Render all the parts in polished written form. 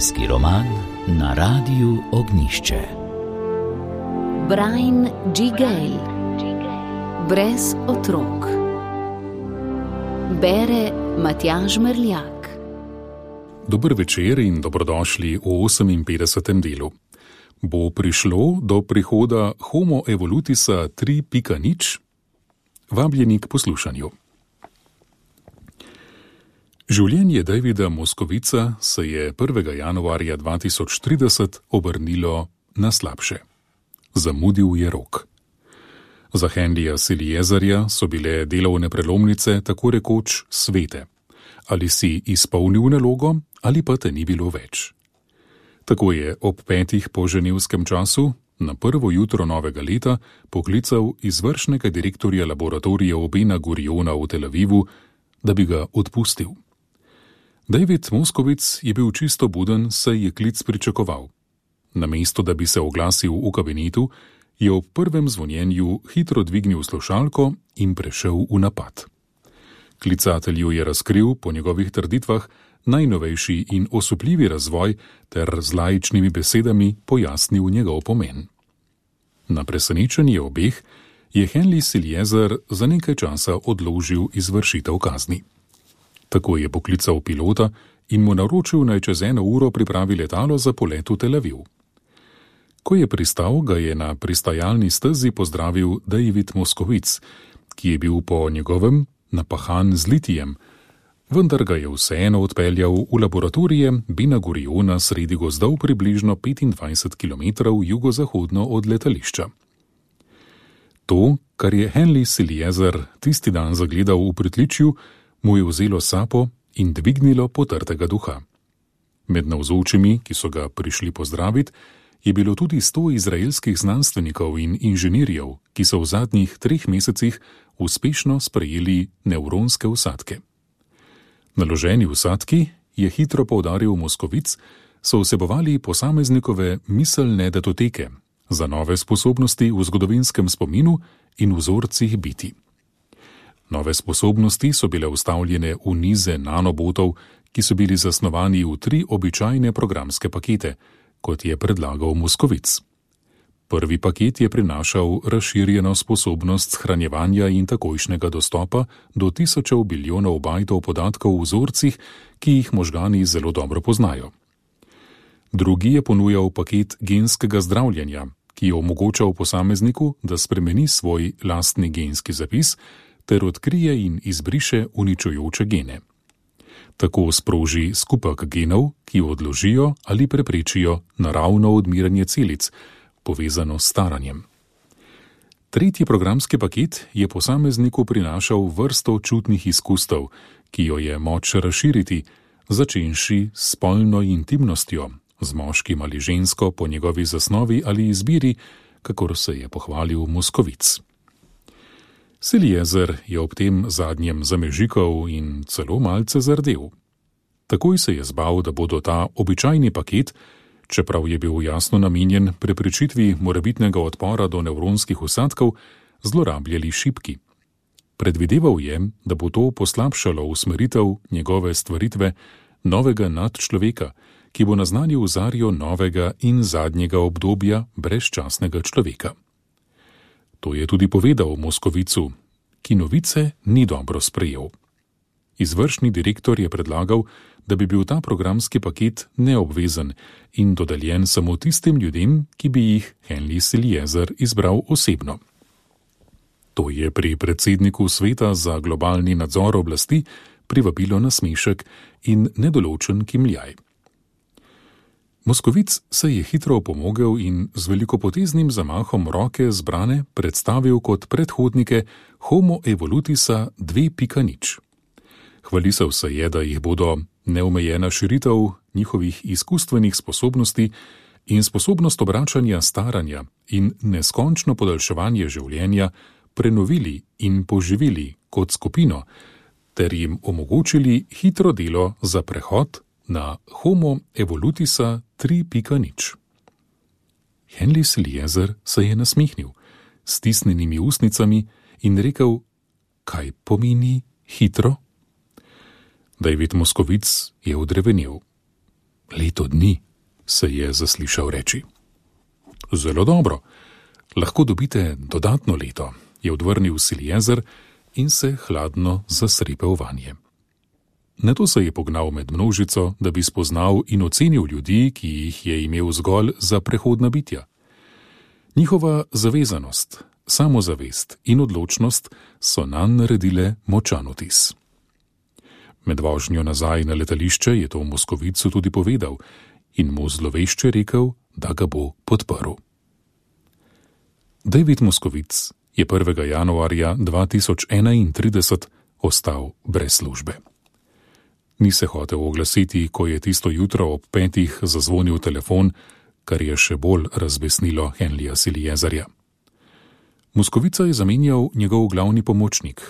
Zgodovinski roman na Radiu Ognjišče. Brian G. Gale. Brez otrok. Bere Matjaž Merljak. Dober večer in dobrodošli v 58. delu. Bo prišlo do prihoda Homo evolutisa 3.0? Vabljeni k poslušanju. Življenje Davida Moskovica se je 1. januarja 2030 obrnilo na slabše. Zamudil je rok. Za Henryja Seliezerja so bile delovne prelomnice tako rekoč svete. Ali si izpolnil nalogo, ali pa te ni bilo več. Tako je ob 5. po ženevskem času na prvo jutro novega leta poklical izvršnega direktorja laboratorija Bena Guriona v Tel Avivu, da bi ga odpustil. David Moskovic je bil čisto buden, saj je klic pričakoval. Namesto da bi se oglasil v kabinetu, je ob prvem zvonjenju hitro dvignil slušalko in prešel v napad. Klicatelju je razkril, po njegovih trditvah, najnovejši in osupljivi razvoj ter z laičnimi besedami pojasnil njegov pomen. Na presenečenje obeh je Henry Seliezer za nekaj časa odložil izvršitev kazni. Tako je poklical pilota in mu naročil, naj čez 1 uro pripravi letalo za polet v Tel Aviv. Ko je pristal, ga je na pristajalni stezi pozdravil David Moskovic, ki je bil po njegovem napahan z litijem, vendar ga je vseeno odpeljal v laboratorije Bena Guriona sredi gozdov približno 25 km jugozahodno od letališča. To, kar je Henry Seliezer tisti dan zagledal v pritličju, mu je vzelo sapo in dvignilo potrtega duha. Med navzočimi, ki so ga prišli pozdraviti, je bilo tudi 100 izraelskih znanstvenikov in inženirjev, ki so v zadnjih 3 mesecih uspešno sprejeli nevronske vsadke. Naloženi vsadki, je hitro poudaril Moskovic, so vsebovali posameznikove miselne datoteke za nove sposobnosti v zgodovinskem spominu in vzorcih biti. Nove sposobnosti so bile vstavljene v nize nanobotov, ki so bili zasnovani v 3 običajne programske pakete, kot je predlagal Moskovic. Prvi paket je prinašal razširjeno sposobnost shranjevanja in takojšnjega dostopa do tisočev bilijonov bajtov podatkov v vzorcih, ki jih možgani zelo dobro poznajo. Drugi je ponujal paket genskega zdravljenja, ki je omogočal posamezniku, da spremeni svoj lastni genski zapis ter odkrije in izbriše uničujoče gene. Tako sproži skupek genov, ki odložijo ali preprečijo naravno odmiranje celic, povezano s staranjem. Tretji programski paket je posamezniku prinašal vrsto čutnih izkustev, ki jo je moč razširiti, začenši s spolno intimnostjo, z moškim ali žensko po njegovi zasnovi ali izbiri, kakor se je pohvalil Moskovic. Seliezer je ob tem zadnjem zamežikal in celo malce zardel. Takoj se je zbal, da bodo ta običajni paket, čeprav je bil jasno namenjen preprečitvi morebitnega odpora do nevronskih vsadkov, zlorabljali šibki. Predvideval je, da bo to poslabšalo usmeritev njegove stvaritve novega nadčloveka, ki bo naznanil zarjo novega in zadnjega obdobja brezčasnega človeka. To je tudi povedal Moskovicu, ki novice ni dobro sprejel. Izvršni direktor je predlagal, da bi bil ta programski paket neobvezen in dodeljen samo tistim ljudem, ki bi jih Henry Seliezer izbral osebno. To je pri predsedniku Sveta za globalni nadzor oblasti privabilo nasmešek in nedoločen kimljaj. Moskovic se je hitro opomogel in z velikopoteznim zamahom roke zbrane predstavil kot predhodnike Homo evolutisa 2.0. Hvalisal se je, da jih bodo neomejena širitev njihovih izkustvenih sposobnosti in sposobnost obračanja staranja in neskončno podaljševanje življenja prenovili in poživili kot skupino, ter jim omogočili hitro delo za prehod na Homo evolutisa 3.0. Henry Seliezer se je nasmehnil s stisnjenimi ustnicami in rekel, kaj pomeni hitro? David Moskovic je odrevenel. Leto dni, se je zaslišal reči. Zelo dobro, lahko dobite dodatno leto, je odvrnil Siljezer in se hladno zasripel vanje. Nato se je pognal med množico, da bi spoznal in ocenil ljudi, ki jih je imel zgolj za prehodna bitja. Njihova zavezanost, samozavest in odločnost so nanj naredile močan vtis. Med vožnjo nazaj na letališče je to Moskovicu tudi povedal in mu zlovešče rekel, da ga bo podprl. David Moskovic je 1. januarja 2031 ostal brez službe. Ni se hotel oglasiti, ko je tisto jutro ob 5 zazvonil telefon, kar je še bolj razbesnilo Henlija Siljezerja. Moskovica je zamenjal njegov glavni pomočnik,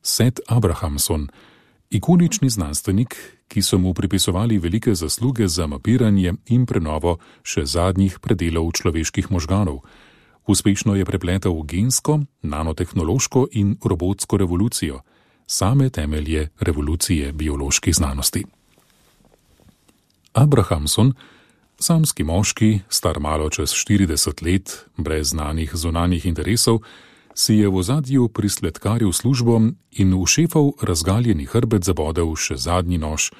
Seth Abrahamson, ikonični znanstvenik, ki so mu pripisovali velike zasluge za mapiranje in prenovo še zadnjih predelov človeških možganov. Uspešno je prepletal gensko, nanotehnološko in robotsko revolucijo, same temelje revolucije bioloških znanosti. Abrahamson, samski moški, star malo čez 40 let, brez znanih zunanjih interesov, si je v ozadju prisledkaril službo in v šefov razgaljeni hrbet zabodel še zadnji nož,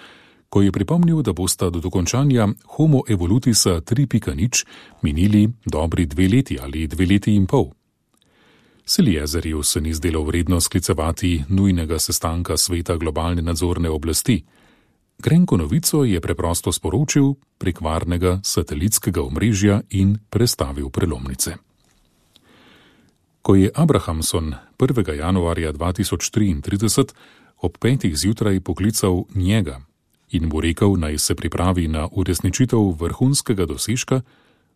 ko je pripomnil, da bosta do dokončanja Homo evolutisa 3.0 minili dobri 2 leti ali 2 leti in pol. Siljezerju se ni zdelo vredno sklicevati nujnega sestanka sveta globalne nadzorne oblasti. Grenko novico je preprosto sporočil prek varnega satelitskega omrežja in prestavil prelomnice. Ko je Abrahamson 1. januarja 2033 ob 5. zjutraj poklical njega in mu rekel, naj se pripravi na uresničitev vrhunskega dosežka,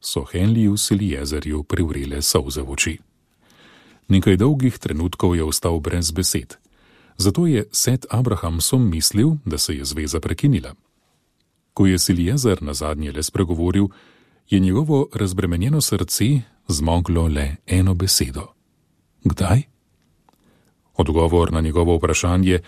so Henliju Siljezerju privrele solze v oči. Nekaj dolgih trenutkov je ostal brez besed. Zato je Seth Abrahamson mislil, da se je zveza prekinila. Ko je Siljezer nazadnje le spregovoril, je njegovo razbremenjeno srce zmoglo le eno besedo. Kdaj? Odgovor na njegovo vprašanje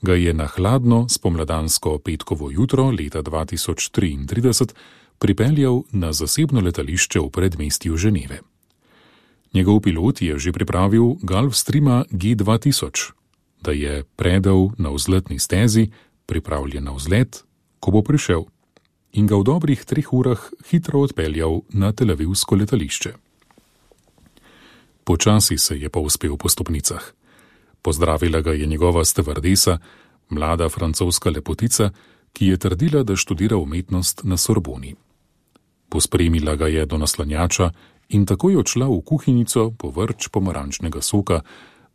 ga je na hladno spomladansko petkovo jutro leta 2033 pripeljal na zasebno letališče v predmestju Ženeve. Njegov pilot je že pripravil Gulfstreama G2000, da je predal na vzletni stezi, pripravljen na vzlet, ko bo prišel, in ga v dobrih 3 urah hitro odpeljal na telavivsko letališče. Počasi se je povzpel po stopnicah. Pozdravila ga je njegova stevardesa, mlada francoska lepotica, ki je trdila, da študira umetnost na Sorboni. Pospremila ga je do naslanjača in takoj odšla v kuhinjico po vrč pomarančnega soka,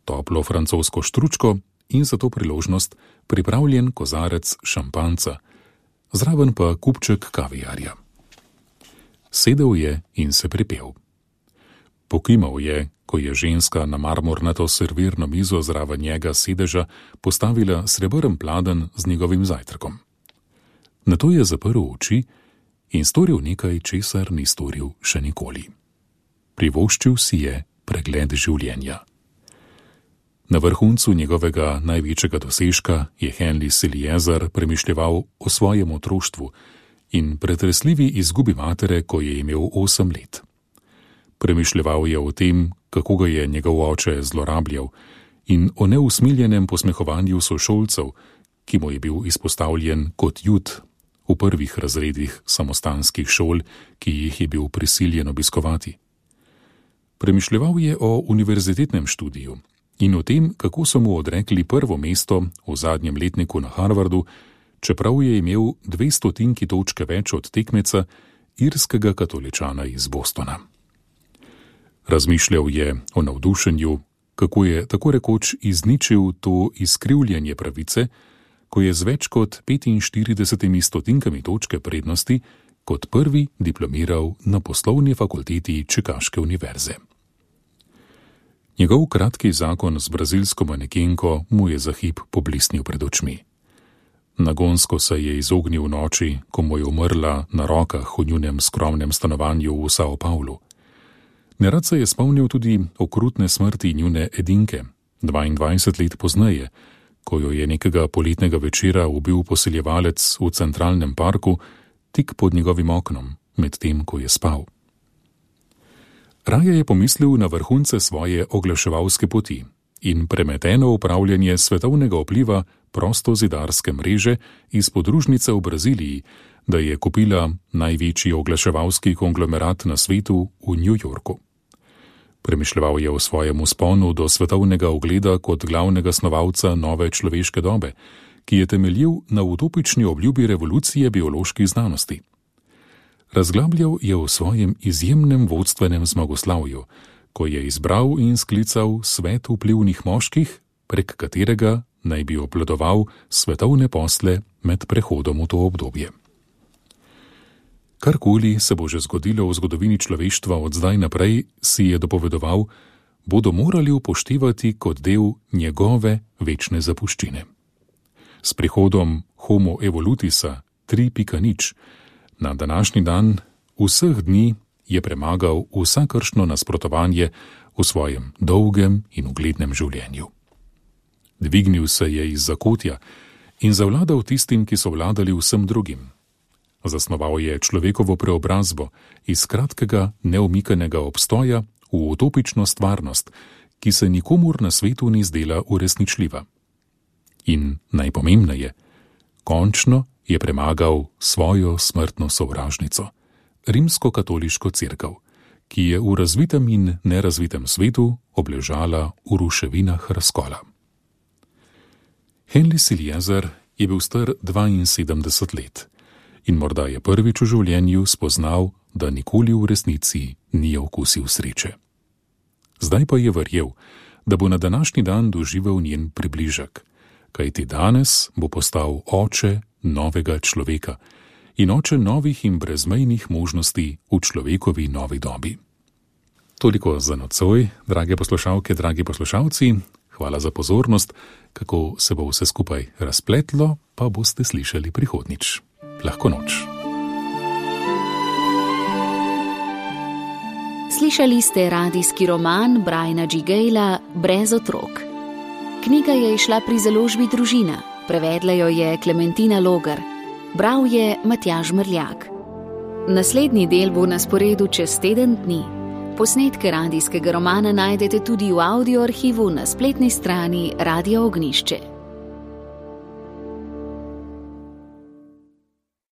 toplo francosko štručko in za to priložnost pripravljen kozarec šampanca, zraven pa kupček kaviarja. Sedel je in se pripel. Pokimal je, ko je ženska na marmornato servirno mizo zraven njega sedeža postavila srebrn pladenj z njegovim zajtrkom. Nato je zaprl oči in storil nekaj, česar ni storil še nikoli. Privoščil si je pregled življenja. Na vrhuncu njegovega največjega dosežka je Henry Siljezer premišljeval o svojem otroštvu in pretresljivi izgubi matere, ko je imel 8 let. Premišljeval je o tem, kako ga je njegov oče zlorabljal, in o neusmiljenem posmehovanju sošolcev, ki mu je bil izpostavljen kot jud v prvih razredih samostanskih šol, ki jih je bil prisiljen obiskovati. Premišljeval je o univerzitetnem študiju in o tem, kako so mu odrekli prvo mesto v zadnjem letniku na Harvardu, čeprav je imel 200 točke več od tekmeca, irskega katoličana iz Bostona. Razmišljal je o navdušenju, kako je tako rekoč izničil to izkrivljanje pravice, ko je z več kot 45 točke prednosti kot prvi diplomiral na poslovni fakulteti Čikaške univerze. Njegov kratki zakon z brazilsko manekenko mu je za hip poblisnil pred očmi. Nagonsko se je izognil noči, ko mu je umrla na rokah v njunem skromnem stanovanju v Sao Paulu. Nerad se je spomnil tudi okrutne smrti njune edinke, 22 let pozneje, ko jo je nekega poletnega večera ubil posiljevalec v centralnem parku, tik pod njegovim oknom, medtem ko je spal. Raje je pomislil na vrhunce svoje oglaševalske poti in premeteno upravljanje svetovnega vpliva prostozidarske mreže iz podružnice v Braziliji, da je kupila največji oglaševalski konglomerat na svetu v New Yorku. Premišljeval je o svojem vzponu do svetovnega ugleda kot glavnega snovalca nove človeške dobe, ki je temeljil na utopični obljubi revolucije bioloških znanosti. Razglabljal je o svojem izjemnem vodstvenem zmagoslavju, ko je izbral in sklical svet vplivnih moških, prek katerega naj bi obvladoval svetovne posle med prehodom v to obdobje. Karkoli se bo že zgodilo v zgodovini človeštva od zdaj naprej, si je dopovedoval, bodo morali upoštevati kot del njegove večne zapuščine. S prihodom Homo evolutisa 3.0 na današnji dan vseh dni je premagal vsakršno nasprotovanje v svojem dolgem in uglednem življenju. Dvignil se je iz zakotja in zavladal tistim, ki so vladali vsem drugim. Zasnoval je človekovo preobrazbo iz kratkega, neumikanega obstoja v utopično stvarnost, ki se nikomur na svetu ni zdela uresničljiva. In najpomembneje, končno je premagal svojo smrtno sovražnico, rimsko-katoliško cerkev, ki je v razvitem in nerazvitem svetu obležala v ruševinah razkola. Henry Siljezer je bil star 72 let in morda je prvič v življenju spoznal, da nikoli v resnici ni okusil sreče. Zdaj pa je verjel, da bo na današnji dan doživel njen približek, kajti danes bo postal oče novega človeka in oče novih in brezmejnih možnosti v človekovi novi dobi. Toliko za nocoj, drage poslušalke, dragi poslušalci. Hvala za pozornost. Kako se bo vse skupaj razpletlo, pa boste slišali prihodnjič. Lahko noč. Slišali ste radijski roman Briana G. Gala Brez otrok. Knjiga je izšla pri založbi Družina, prevedla jo je Klementina Logar, bral je Matjaž Mrljak. Naslednji del bo na sporedu čez teden dni. Posnetke radijskega romana najdete tudi v audio arhivu na spletni strani Radia Ognjišče.